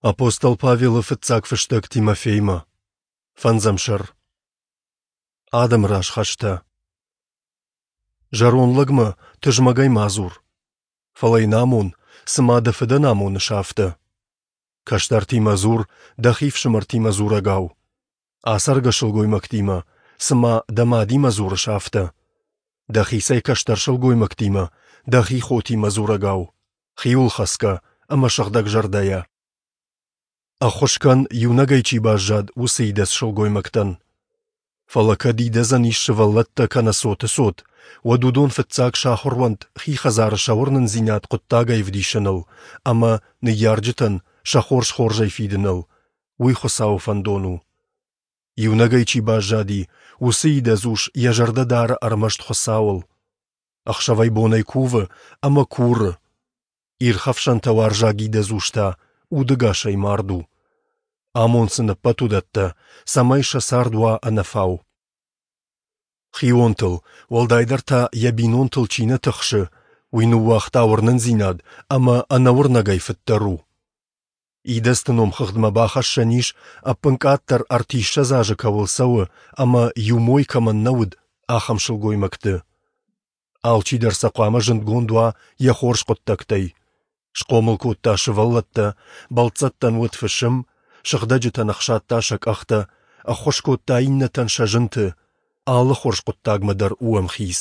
Апостол Павелы фыццаг фыстӕг Тимофеймӕ. Фӕндзӕм сӕр. Адӕмы раз хӕстӕ. Зӕронд лӕгмӕ тызмӕгӕй ма дзур, фӕлӕ йын амон, цыма дӕ фыдӕн амоныс, афтӕ. Кӕстӕртимӕ дзур, дӕхи фсымӕртимӕ дзурӕгау. Ацӕргӕ сылгоймӕгтимӕ, цыма дӕ мадимӕ дзурыс, афтӕ. Дӕхицӕй кӕстӕр сылгоймӕгтимӕ, дӕхи хотимӕ дзурӕгау, хиуылхӕцгӕ ӕмӕ сыгъдӕгзӕрдӕйӕ. Ӕххуыс кӕн, иунӕгӕй чи баззад, уыцы идӕдз сылгоймӕгтӕн. Фӕлӕ кӕд идӕдзӕн ис сывӕллӕттӕ кӕнӕ цоты цот, уӕд уыдон фыццаг сахуыр уӕнт хи хӕдзары сӕ уырнындзинад хъуыддагӕй ӕвдисыныл ӕмӕ ныййарджытӕн сӕ хорз хорзӕй фидыныл. Уый Хуыцауы фӕндон у. Иунӕгӕй чи баззади, уыцы идӕдз ус йӕ зӕрдӕ дары ӕрмӕст Хуыцауыл. Ӕхсӕвӕй-бонӕй кувы ӕмӕ куры. Ирхӕфсӕнтӕ уарзаг идӕдз ус та удӕгасӕй мард у. Амон сын ӕппӕт уыдӕттӕ, цӕмӕй сӕ цард уа ӕнӕфау. Хионтыл, уӕлдайдӕр та йӕ бинонтыл чи нӕ тыхсы, уый ныууагъта уырнындзинад ӕмӕ ӕнӕуырнӕгӕй фыддӕр у. Идӕдзты номхыгъдмӕ бахӕссӕн ис, ӕппынкъаддӕр ӕртиссӕдз азы кӕуыл цӕуы ӕмӕ иу мой кӕмӕн нӕ уыд, ахӕм сылгоймӕгты. Алчидӕр сӕ хъуамӕ зындгонд уа йӕ хорз хъуыддӕгтӕй. Схъомыл кодта сывӕллӕттӕ, бӕлццӕттӕн уыд фысым, сыгъдӕджытӕн ӕхсадта сӕ къӕхтӕ, ӕххуыс кодта иннӕтӕн сӕ зынты, алы хорз хъуыддагмӕ дӕр у ӕмхиц.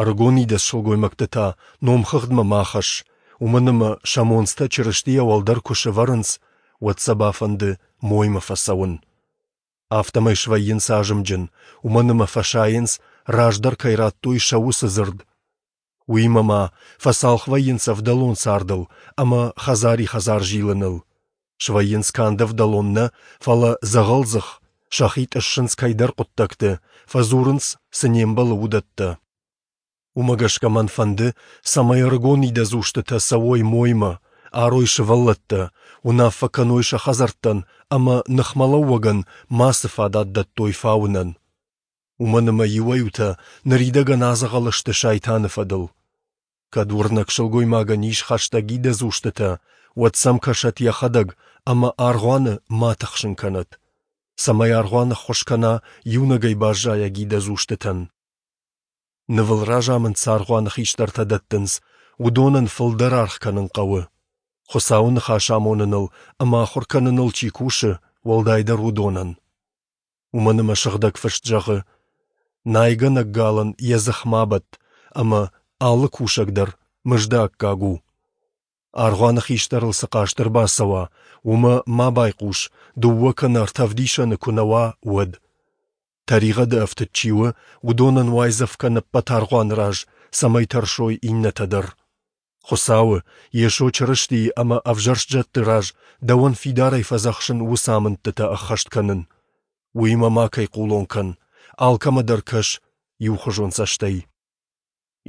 Ӕрыгон идӕдз сылгоймӕгты та номхыгъдмӕ ма хӕсс, уымӕн ӕмӕ сӕ монцтӕ Чырыстийӕ уӕлдӕр куы сӕвӕрынц, уӕд сӕ бафӕнды моймӕ фӕцӕуын. Афтӕмӕй свӕййынц азымджын, уымӕн ӕмӕ фӕсайынц, раздӕр кӕй радтой сӕ уыцы дзырд. Уыимӕ ма фӕцалх вӕййынц ӕвдӕлон цардыл ӕмӕ хӕдзари-хӕдзар зилыныл. Свӕййынц канд ӕвдӕлон нӕ, фӕлӕ дзӕгъӕлдзых, сӕхи тъыссынц кӕйдӕр хъуыддӕгты, фӕдзурынц, цы не мбӕлы, уыдӕттӕ. Уымӕ гӕсгӕ мӕн фӕнды, цӕмӕй ӕрыгон идӕдз устытӕ цӕуой моймӕ, арой сывӕллӕттӕ, уынаффӕ кӕной сӕ хӕдзӕрттӕн ӕмӕ ныхмӕлӕууӕгӕн мацы фадат дӕттой фауынӕн. Уымӕн ӕмӕ иуӕй-иутӕ ныридӕгӕн адзӕгъӕл сты сайтаны фӕдыл. Кӕд уырнӕг сылгоймагӕн ис хӕстӕг идӕдз устытӕ, уӕд сӕм кӕсӕт йӕхӕдӕг ӕмӕ аргъуаны ма тыхсын кӕнӕт, цӕмӕй аргъуан ӕххуыс кӕна иунӕгӕй баззайӕг идӕдз устытӕн. Нывыл разамынд цы аргъуаны хистӕртӕ дӕттынц, уыдонӕн фылдӕр аргъ кӕнын хъӕуы. Хуыцауы ныхас амоныныл ӕмӕ ахуыр кӕныныл чи кусы, уӕлдайдӕр уыдонӕн. Уымӕн ӕмӕ Сыгъдӕг Фыст зӕгъы: Найгӕнӕг галӕн йӕ дзых ма бӕтт, ӕмӕ алы кусӕг дӕр мызды аккаг у. Аргъуаны хистӕрыл цы хъаст ӕрбацӕуа, уымӕ ма байхъус, дыууӕ кӕнӕ ӕртӕ ӕвдисӕны куы нӕ уа, уӕд. Тӕригъӕды ӕфтыд чи у, уыдонӕн уайдзӕф кӕн ӕппӕт аргъуаны раз, цӕмӕй тӕрсой иннӕтӕ дӕр. Хуыцауы, Йесо Чырыстийы ӕмӕ ӕвзӕрст зӕдты раз дӕуӕн фидарӕй фӕдзӕхсын уыцы амындтытӕ ӕххӕст кӕнын. Уыимӕ макӕй хъулон кӕн, алкӕмӕ дӕр кӕс иухуызон цӕстӕй.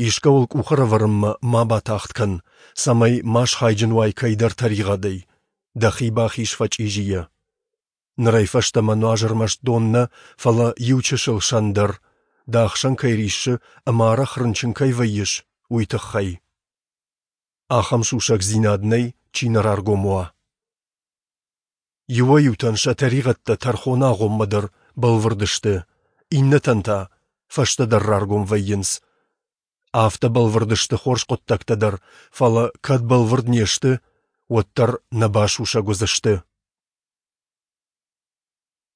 Искӕуыл къух ӕрӕвӕрынмӕ ма батагъд кӕн, цӕмӕй ма схайджын уай кӕйдӕр тӕригъӕдӕй, дӕхи бахиз фӕчъизийӕ. Нырӕй фӕстӕмӕ нуаз ӕрмӕст дон нӕ, фӕлӕ иу чысыл сӕн дӕр, дӕ ахсӕн кӕй риссы ӕмӕ арӕх рынчын кӕй вӕййыс, уый тыххӕй. Ахӕм сусӕгдзинад нӕй, чи нӕ раргом уа. Иуӕй-иутӕн сӕ тӕригъӕдтӕ тӕрхоны агъоммӕ дӕр бӕлвырд сты, иннӕтӕн та фӕстӕдӕр раргом вӕййынц. Афтӕ бӕлвырд сты хорз хъуыддӕгтӕ дӕр, фӕлӕ кӕд бӕлвырд не сты, уӕддӕр нӕ басусӕг уыдзысты.